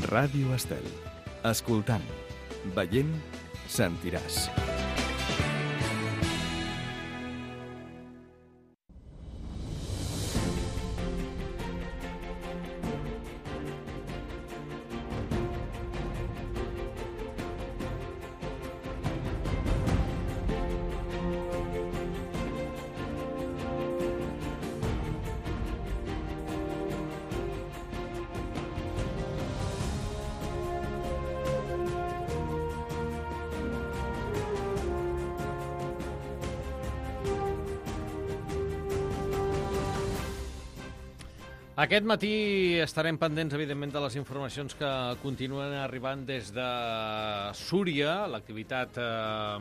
Ràdio Estel. Escoltant, veient, sentiràs. Aquest matí estarem pendents, evidentment, de les informacions que continuen arribant des de Súria. L'activitat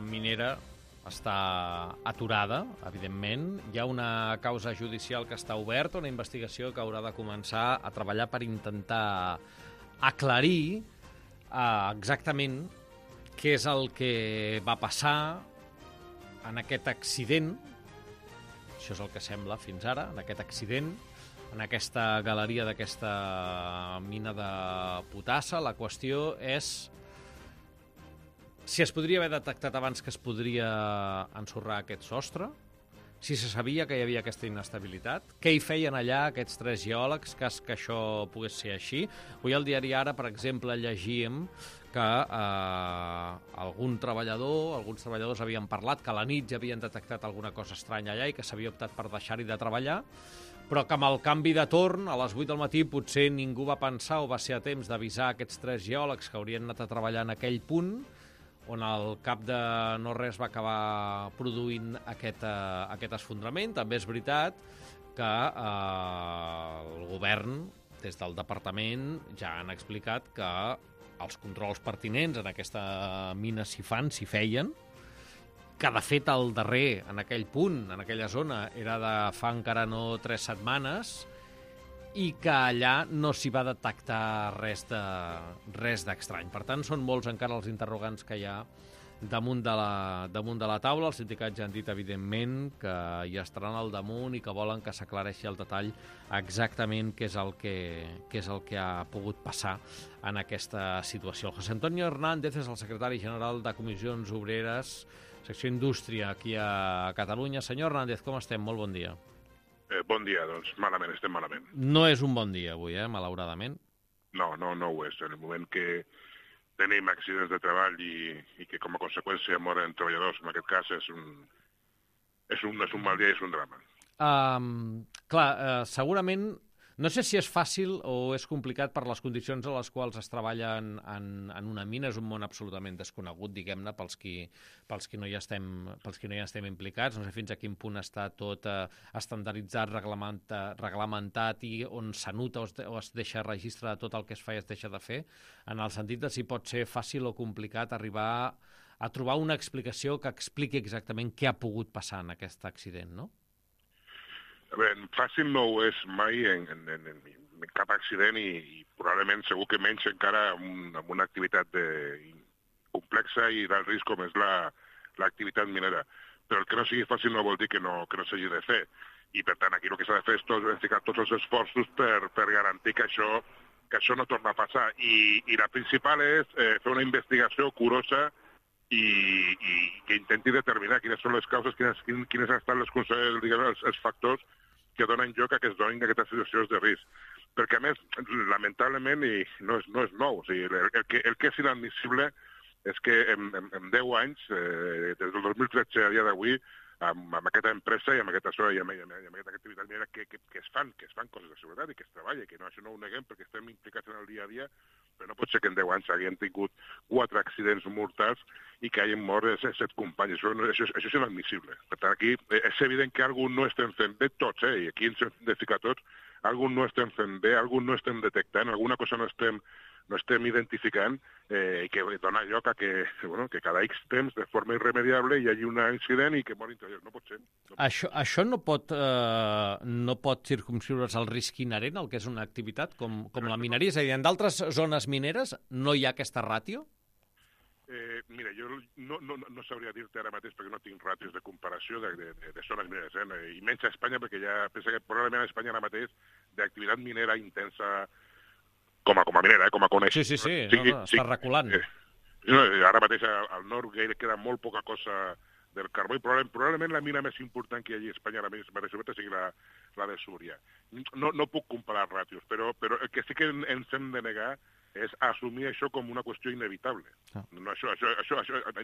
minera està aturada, evidentment. Hi ha una causa judicial que està oberta, una investigació que haurà de començar a treballar per intentar aclarir exactament què és el que va passar en aquest accident. Això és el que sembla fins ara, en aquest accident, en aquesta galeria d'aquesta mina de potassa. La qüestió és si es podria haver detectat abans que es podria ensorrar aquest sostre, si se sabia que hi havia aquesta inestabilitat, què hi feien allà aquests 3 geòlegs, cas que això pogués ser així. Avui al diari Ara, per exemple, llegíem que alguns treballadors havien parlat que a la nit ja havien detectat alguna cosa estranya allà i que s'havia optat per deixar-hi de treballar, però que amb el canvi de torn, a les 8 del matí, potser ningú va pensar o va ser a temps d'avisar aquests 3 geòlegs que haurien anat a treballar en aquell punt, on al cap de no res va acabar produint aquest esfondrament. També és veritat que el govern, des del departament, ja han explicat que els controls pertinents en aquesta mina s'hi feien, que de fet el darrer, en aquell punt, en aquella zona, era de fa encara no 3 setmanes, i que allà no s'hi va detectar res d'estrany. Per tant, són molts encara els interrogants que hi ha damunt de la taula. Els sindicats ja han dit, evidentment, que hi estaran al damunt i que volen que s'aclareixi el detall exactament què és el que ha pogut passar en aquesta situació. José Antonio Hernández és el secretari general de Comissions Obreres, secció Indústria, aquí a Catalunya. Senyor Hernández, com estem? Molt bon dia. Bon dia, doncs malament, estem malament. No és un bon dia avui, malauradament. No ho és. En el moment que tenim accidents de treball i que com a conseqüència moren treballadors, en aquest cas és un mal dia i és un drama. Segurament, no sé si és fàcil o és complicat per les condicions a les quals es treballa en una mina. És un món absolutament desconegut, diguem-ne, pels qui no hi estem implicats. No sé fins a quin punt està tot estandarditzat, reglamentat i on s'anota o es deixa registre de tot el que es fa i es deixa de fer, en el sentit de si pot ser fàcil o complicat arribar a trobar una explicació que expliqui exactament què ha pogut passar en aquest accident, no? A veure, fàcil no ho és mai en cap accident i probablement segur que menys encara amb una activitat complexa i d'alt risc com és l'activitat minera. Però el que no sigui fàcil no vol dir que no s'hagi de fer. I per tant aquí el que s'ha de fer és ficar tots els esforços per garantir que això no torna a passar. I la principal és fer una investigació curosa i que intenti determinar quines són les causes, quines han estat els factors que donen lloc a que es donin aquestes situacions de risc. Perquè, a més, lamentablement, i no és nou, o sigui, el que és inadmissible és que en 10 anys, des del 2013 a dia d'avui, amb aquesta empresa i amb aquesta zona i amb aquesta activitat minera que es fan coses de seguretat i que es treballa, que això no ho neguem perquè estem implicats en el dia a dia, però no pot ser que en 10 anys haguem tingut 4 accidents mortals i que hagin mort 7 companys. Això és inadmissible. Per tant, aquí és evident que algú no estem fent bé tots, i aquí ens hem de ficar tots, algú no estem fent bé, algú no estem detectant, alguna cosa no estem identificant i que dona lloc a que cada X temps, de forma irremediable, hi hagi un incident i que mori interior. No pot ser. Això no pot circumscriure's al risc inherent, el que és una activitat com la mineria? És a dir, en d'altres zones mineres no hi ha aquesta ràtio? Mira, jo no sabria dir-te ara mateix perquè no tinc ràtios de comparació de zones mineres, i menys a Espanya, perquè ja pensa que probablement a Espanya ara mateix d'activitat minera intensa com a minera, com a conèixer. Sí, està reculant. Ara mateix al nord queda molt poca cosa del carbó i probablement la mina més important que hi ha allà a Espanya ara mateix sigui la de Súria. No puc comparar ràtios, però el que sí que ens hem de negar és assumir això com una qüestió inevitable. No, això,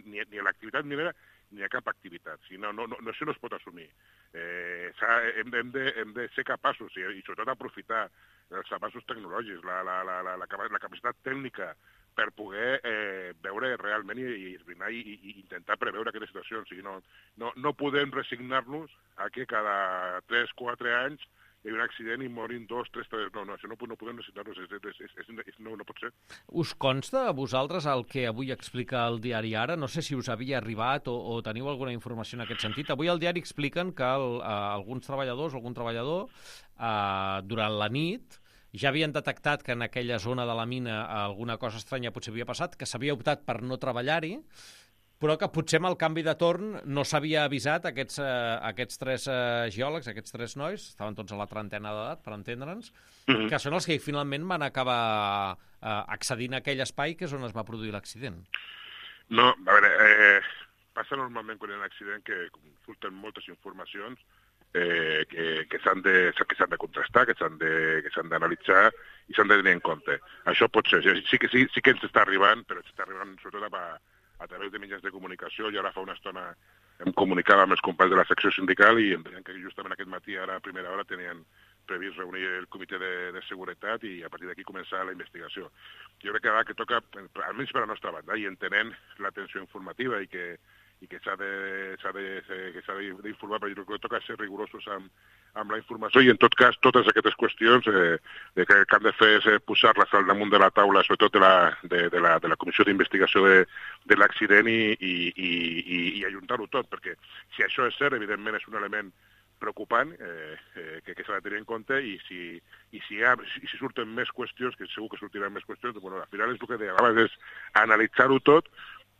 ni a l'activitat minera ni a cap activitat. Això no es pot assumir. Hem de ser capaços, i sobretot aprofitar els avanços tecnològics, la capacitat tècnica per poder veure realment i esbrinar i intentar preveure aquestes situacions. O sigui, no podem resignar-nos a que cada 3-4 anys hi ha un accident i morin 2, 3... No, això no podem resignar-nos, no pot ser. Us consta a vosaltres el que avui explica el diari Ara? No sé si us havia arribat o teniu alguna informació en aquest sentit. Avui al diari expliquen que alguns treballadors, algun treballador, durant la nit, ja havien detectat que en aquella zona de la mina alguna cosa estranya potser havia passat, que s'havia optat per no treballar-hi, però que potser amb el canvi de torn no s'havia avisat aquests 3 geòlegs, aquests 3 nois, estaven tots a la trentena d'edat, per entendre'ns, que són els que finalment van acabar accedint a aquell espai que és on es va produir l'accident. No, a veure, passa normalment quan hi ha un accident que surten moltes informacions que s'han de contrastar, que s'han d'analitzar i s'han de tenir en compte. Això pot ser, sí que ens està arribant, però ens està arribant sobretot a través de mitjans de comunicació, i ara fa una estona em comunicava amb els companys de la secció sindical i em deien que justament aquest matí, ara a primera hora, tenien previst reunir el comitè de seguretat i a partir d'aquí començar la investigació. Jo crec que ara que toca, almenys per a la nostra banda, i entenent l'atenció informativa i que s'ha d'informar, però jo crec que toca ser rigorosos amb la informació i, en tot cas, totes aquestes qüestions que han de fer és posar-les al damunt de la taula, sobretot de la comissió d'investigació de l'accident i ajuntar-ho tot, perquè si això és cert, evidentment és un element preocupant que s'ha de tenir en compte i si surten més qüestions, que segur que sortiran més qüestions, al final és el que deia abans, és analitzar-ho tot,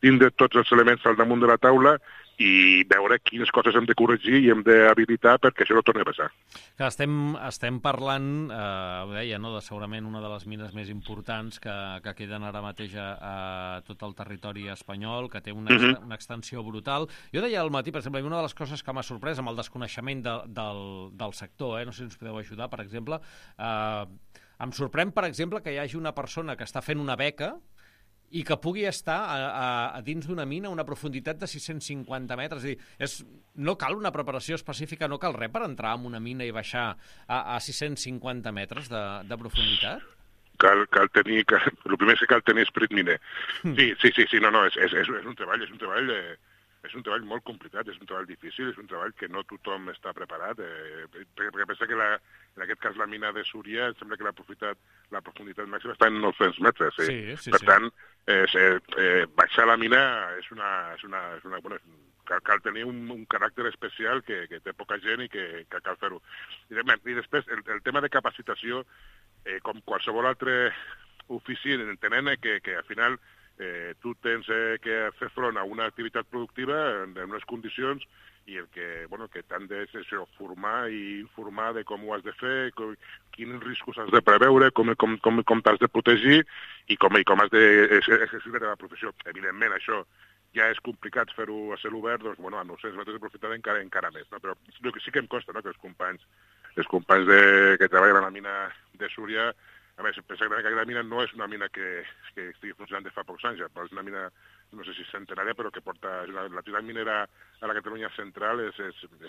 tindre tots els elements al damunt de la taula i veure quines coses hem de corregir i hem d'habilitar perquè això no torni a passar. Que estem parlant, ho deia, no, de segurament una de les mines més importants que queden ara mateix a tot el territori espanyol, que té una extensió brutal. Jo deia al matí, per exemple, una de les coses que m'ha sorprès amb el desconeixement del sector, no sé si ens podeu ajudar, per exemple, em sorprèn, per exemple, que hi hagi una persona que està fent una beca i que pugui estar a dins d'una mina a una profunditat de 650 metres. És a dir, no cal una preparació específica, no cal res per entrar en una mina i baixar a 650 metres de profunditat? Cal tenir... El primer que cal tenir esperit miner. Sí, és un treball... És un treball molt complicat, és un treball difícil, és un treball que no tothom està preparat, perquè pensa que en aquest cas la mina de Súria, em sembla que la profunditat màxima està en 900 metres. Per tant, baixar la mina cal tenir un caràcter especial que té poca gent i que cal fer-ho. I després, el tema de capacitació, com qualsevol altre ofici, entenent que al final tu tens que fer front a una activitat productiva en unes condicions i el que t'han de formar i informar de com ho has de fer, quins riscos has de preveure, com t'has de protegir i com has d'exercir la teva professió. Evidentment, això ja és complicat fer-ho a cel obert, doncs, a 900 metres de profunditat encara més. No? Però sí que em consta, no?, que els companys que treballen a la mina de Súria, a més, pensa que aquesta mina no és una mina que estigui funcionant de fa pocs anys, però és una mina, no sé si centenària, però que porta... L'activitat minera a la Catalunya central és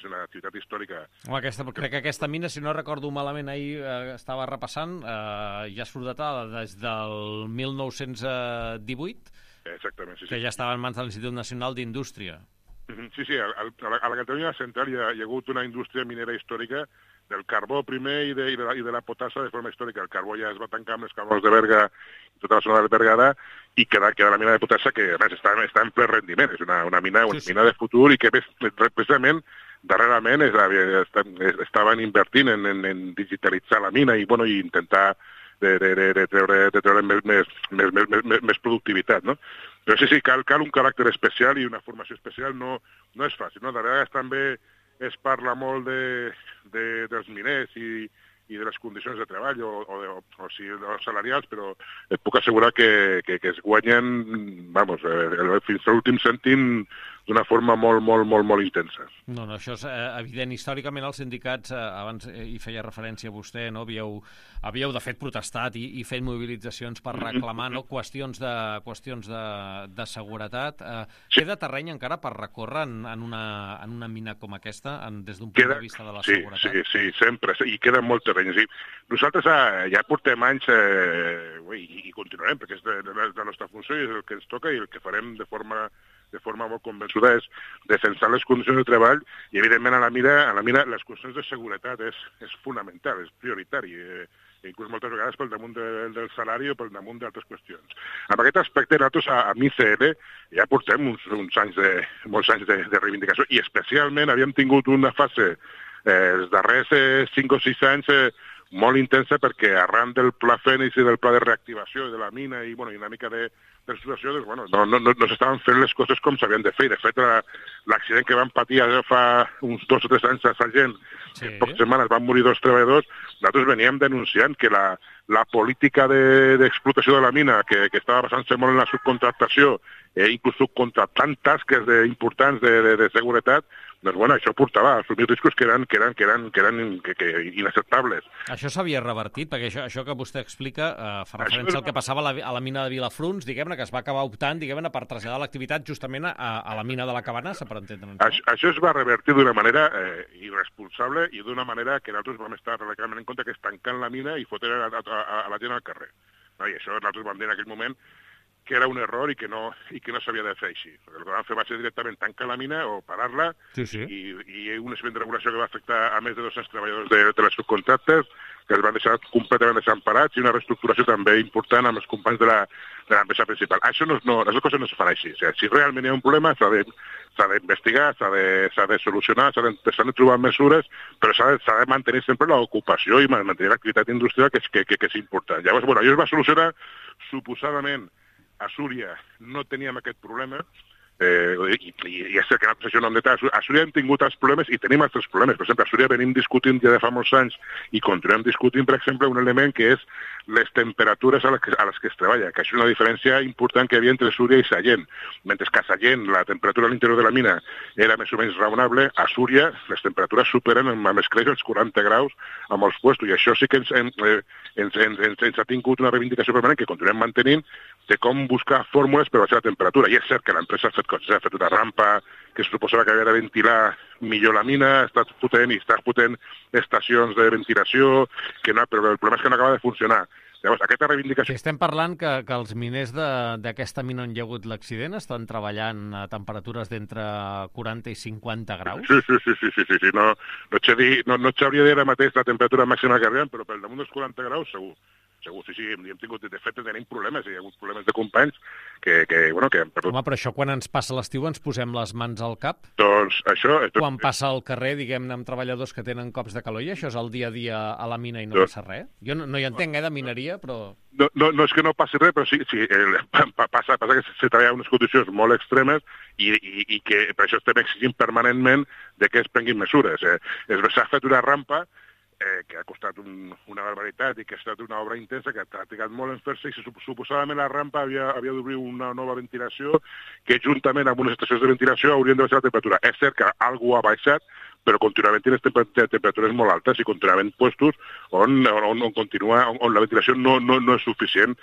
una activitat històrica. Home, crec que aquesta mina, si no recordo malament, ahir estava repassant, ja surt datada des del 1918, exactament, sí. Que ja estava en mans de l'Institut Nacional d'Indústria. Sí, a la Catalunya central hi ha hagut una indústria minera històrica del carbó primer i de la potassa de forma històrica. El carbó ja es va tancar amb els carbons de Berga i tota la zona del Berguedà i queda la mina de potassa que a més està en ple rendiment. És una mina de futur i que precisament darrerament estaven invertint en digitalitzar la mina i intentar de treure més productivitat, no? Però sí, cal un caràcter especial i una formació especial, no és fàcil, no? De vegades també es parla molt dels miners i i de les condicions de treball o salarials, però et puc assegurar que es guanyen, fins a l'últim cèntim d'una forma molt intensa. No, això és evident. Històricament els sindicats, abans hi feia referència a vostè, no? Havíeu de fet protestat i fet mobilitzacions per reclamar qüestions de seguretat. Queda terreny encara per recórrer en una mina com aquesta, des d'un punt de vista de la seguretat? Sí, sempre, i queda molt terreny. Sí. Nosaltres ja portem anys i continuarem, perquè és la nostra funció i és el que ens toca i el que farem de forma molt convençuda és defensar les condicions de treball i, evidentment, a la mina les qüestions de seguretat és fonamental, és prioritari, inclús moltes vegades pel damunt del salari o pel damunt d'altres qüestions. En aquest aspecte, nosaltres a MICL ja portem molts anys de reivindicació i, especialment, havíem tingut una fase els darrers 5 o 6 anys molt intensa perquè arran del pla Fènix i del pla de reactivació de la mina i una mica de situació, no s'estaven fent les coses com s'havien de fer. De fet, l'accident que van patir fa uns 2 o 3 anys a Sallent, en poques setmanes van morir 2 treballadors, nosaltres veníem denunciant que la política d'explotació de la mina, que estava basant-se molt en la subcontractació, inclús subcontractant tasques importants de seguretat, doncs això portava a assumir riscos que eren inacceptables. Això s'havia revertit, perquè això que vostè explica fa referència al que passava a la mina de Vilafruns, diguem-ne, que es va acabar optant, diguem-ne, per traslladar l'activitat justament a la mina de la Cabanassa, per entendre'ns. Això es va revertir d'una manera irresponsable i d'una manera que nosaltres vam estar radicalment en contra, que és tancant la mina i fotre a la gent al carrer. I això nosaltres vam dir en aquell moment que era un error i que no s'havia de fer així. El que vam fer va ser directament tancar la mina o parar-la i un expedient de regulació que va afectar a més de 200 treballadors de les subcontractes que es van deixar completament desemparats i una reestructuració també important amb els companys de l'empresa principal. Això les coses no es fan així. O sigui, si realment hi ha un problema s'ha d'investigar, s'ha de solucionar, s'han de trobar mesures, però s'ha de mantenir sempre l'ocupació i mantenir l'activitat industrial que és important. Llavors, això es va solucionar suposadament. A Súria no teníem aquest problema i és cert que nosaltres això no hem detall. A Súria hem tingut els problemes i tenim altres problemes. Per exemple, a Súria venim discutint ja de fa molts anys i continuem discutint, per exemple, un element que és les temperatures a les que es treballa, que això és una diferència important que hi havia entre Súria i Sallent. Mentre que a Sallent la temperatura a l'interior de la mina era més o menys raonable, a Súria les temperatures superen amb escreix els 40 graus a molts puestos, i això sí que ens ha tingut una reivindicació permanent que continuem mantenint de com buscar fórmules per baixar la temperatura. I és cert que l'empresa ha fet coses, ha fet una rampa que es suposava que havia de ventilar millor la mina, està fotent estacions de ventilació, però el problema és que no acaba de funcionar. Llavors, aquesta reivindicació... Estem parlant que els miners d'aquesta mina on hi ha hagut l'accident estan treballant a temperatures d'entre 40 i 50 graus? Sí. No et sabria dir ara mateix la temperatura màxima que arriben, però pel damunt dels 40 graus segur, sí, hem tingut, de fet, tenim problemes, hi ha hagut problemes de companys que han perdut. Home, però això quan ens passa l'estiu ens posem les mans al cap? Doncs això... Quan passa al carrer, diguem-ne, amb treballadors que tenen cops de calor, i això és el dia a dia a la mina i no passa res? Jo no hi entenc, de mineria, però... No és que no passi res, però sí passa que se treballa en unes condicions molt extremes i que per això estem exigint permanentment de que es prenguin mesures. S'ha fet una rampa que ha costat una barbaritat i que ha estat una obra intensa, que ha trigat molt en fer-se, i suposadament la rampa havia d'obrir una nova ventilació que juntament amb unes estacions de ventilació haurien de baixar la temperatura. És cert que alguna ha baixat, però continuaven tenint temperatures molt altes i continuaven puestos on la ventilació no és suficient.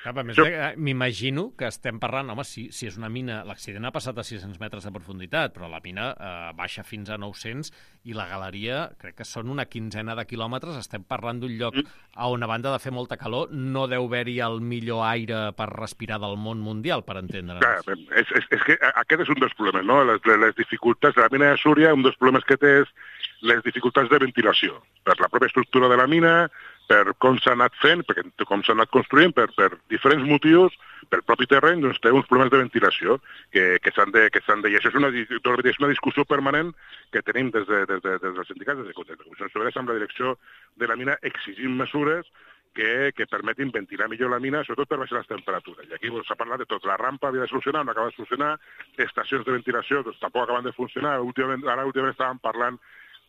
M'imagino que estem parlant, home, si és una mina, l'accident ha passat a 600 metres de profunditat, però la mina baixa fins a 900 i la galeria, crec que són una quinzena de quilòmetres, estem parlant d'un lloc on, a banda de fer molta calor, no deu haver-hi el millor aire per respirar del món mundial, per entendre'ns. És que aquest és un dels problemes, no? Les dificultats de la mina de Súria, un dels problemes que té és les dificultats de ventilació, per la pròpia estructura de la mina, per com s'ha anat fent, com s'ha anat construint, per diferents motius, pel propi terreny, doncs té uns problemes de ventilació que s'han de... I això és una discussió permanent que tenim des dels sindicats, des de Comissions Obreres, amb la direcció de la mina, exigint mesures que permetin ventilar millor la mina, sobretot per baixar les temperatures. I aquí s'ha parlat de tot. La rampa havia de solucionar, no acaba de solucionar, estacions de ventilació doncs, tampoc acaben de funcionar. Últimament estàvem parlant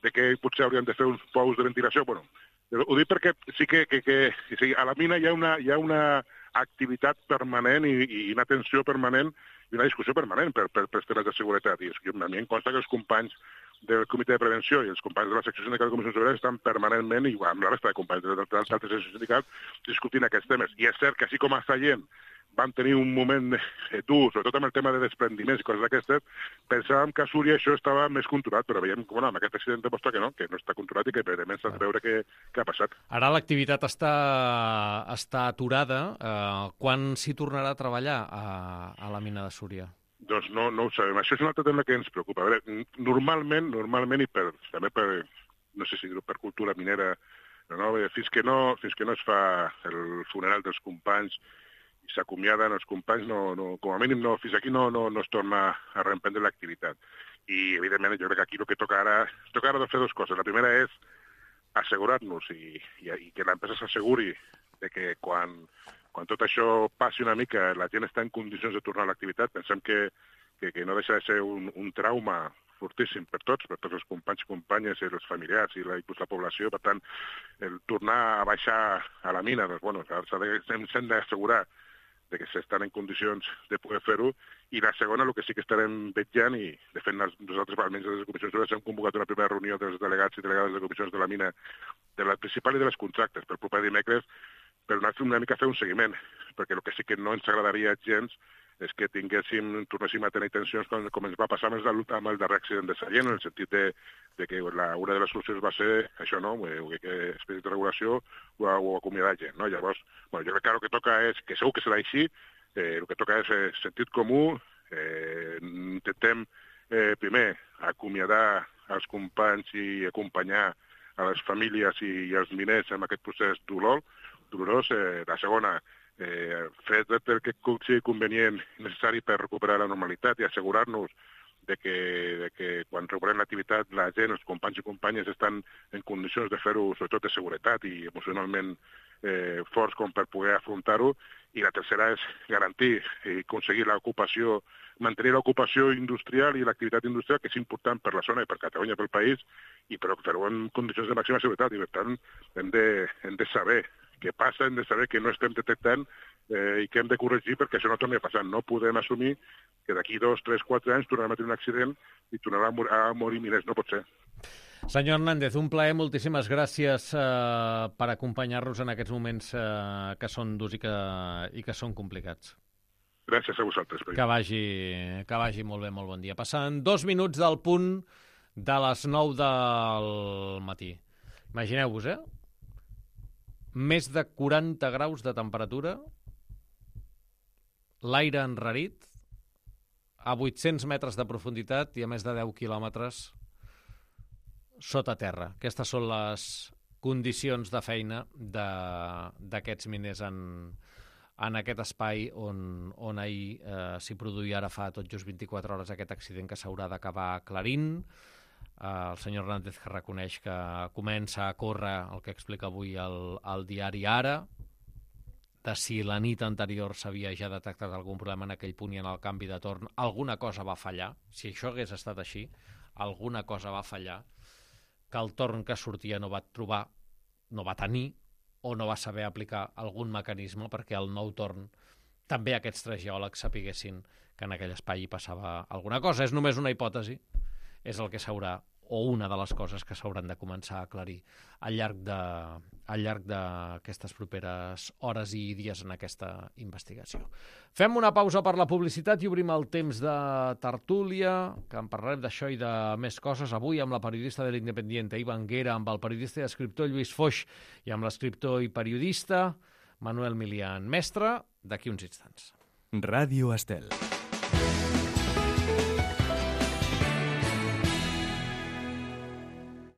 de que potser haurien de fer uns pous de ventilació. Ho dic perquè sí que a la mina hi ha una activitat permanent i una tensió permanent i una discussió permanent per temes de seguretat. I a mi em consta que els companys del Comitè de Prevenció i els companys de la secció sindical de Comissions Obreres estan permanentment, i amb la resta de companys d'altres seccions sindicals, discutint aquests temes. I és cert que així com a Sallent vam tenir un moment dur, sobretot amb el tema de desprendiments i coses d'aquestes, pensàvem que a Súria això estava més controlat, però veiem que amb aquest accident demostra que no està controlat i que evidentment s'ha de veure què ha passat. Ara l'activitat està aturada. Quan s'hi tornarà a treballar a la mina de Súria? Doncs no ho sabem. Això és un altre tema que ens preocupa. A veure, normalment i també per, no sé si dir-ho, per cultura minera, fins que no es fa el funeral dels companys i s'acomiaden els companys, com a mínim fins aquí no es torna a reemprendre l'activitat. I, evidentment, jo crec que aquí el que toca ara de fer dues coses. La primera és assegurar-nos i que l'empresa s'asseguri de que quan tot això passi una mica, la gent està en condicions de tornar a l'activitat. Pensem que no deixa de ser un trauma fortíssim per tots els companys i companyes i els familiars i la població. Per tant, el tornar a baixar a la mina, s'hem d'assegurar de que s'estan en condicions de poder fer-ho, i la segona, el que sí que estarem vetllant, i de fet nosaltres, almenys des de les comissions obreres, hem convocat una primera reunió dels delegats i delegades de comissions de la mina, de la principal i de les contractes, per proper dimecres, per anar una mica a fer un seguiment, perquè el que sí que no ens agradaria gens és que tornéssim a tenir tensions com ens va passar amb el darrer accident de Sallent, en el sentit de que una de les solucions va ser això, no? Que expedient de regulació o acomiadar gent, no? Llavors, jo crec que el que toca és, que segur que serà així, el que toca és sentit comú, intentem primer acomiadar els companys i acompanyar a les famílies i als miners en aquest procés dolorós. La segona, fer el que sigui convenient i necessari per recuperar la normalitat i assegurar-nos de que quan recuperem l'activitat la gent, els companys i companyes estan en condicions de fer-ho, sobretot de seguretat i emocionalment forts com per poder afrontar-ho. I la tercera és garantir i aconseguir l'ocupació, mantenir l'ocupació industrial i l'activitat industrial, que és important per la zona i per Catalunya, pel país, i però fer-ho en condicions de màxima seguretat. I per tant hem de saber què passa, hem de saber que no estem detectant i que hem de corregir perquè això no torni a passar. No podem assumir que d'aquí 2, 3, 4 anys tornarem a tenir un accident i tornarà a morir milers. No pot ser. Senyor Hernández, un plaer, moltíssimes gràcies per acompanyar-nos en aquests moments que són durs i que són complicats. Gràcies a vosaltres. Que vagi molt bé, molt bon dia. Passant 2 minuts del punt de les 9 del matí. Imagineu-vos, més de 40 graus de temperatura, l'aire enrarit, a 800 metres de profunditat i a més de 10 quilòmetres sota terra. Aquestes són les condicions de feina d'aquests miners en aquest espai on ahir s'hi produïa, ara fa tot just 24 hores, aquest accident que s'haurà d'acabar aclarint. El senyor Hernández que reconeix que comença a córrer el que explica avui el diari Ara, de si la nit anterior s'havia ja detectat algun problema en aquell punt i en el canvi de torn. Alguna cosa va fallar. Si això hagués estat així, alguna cosa va fallar, que el torn que sortia no va tenir o no va saber aplicar algun mecanisme perquè el nou torn també aquests 3 geòlegs sapiguessin que en aquell espai hi passava alguna cosa. És només una hipòtesi, és el que s'haurà, o una de les coses que s'hauran de començar a aclarir al llarg d'aquestes properes hores i dies en aquesta investigació. Fem una pausa per la publicitat i obrim el temps de tertúlia, que en parlarem d'això i de més coses avui amb la periodista de l'Independiente, Iva Anguera, amb el periodista i escriptor Lluís Foix i amb l'escriptor i periodista Manuel Milian. Mestre, d'aquí uns instants. Ràdio Estel.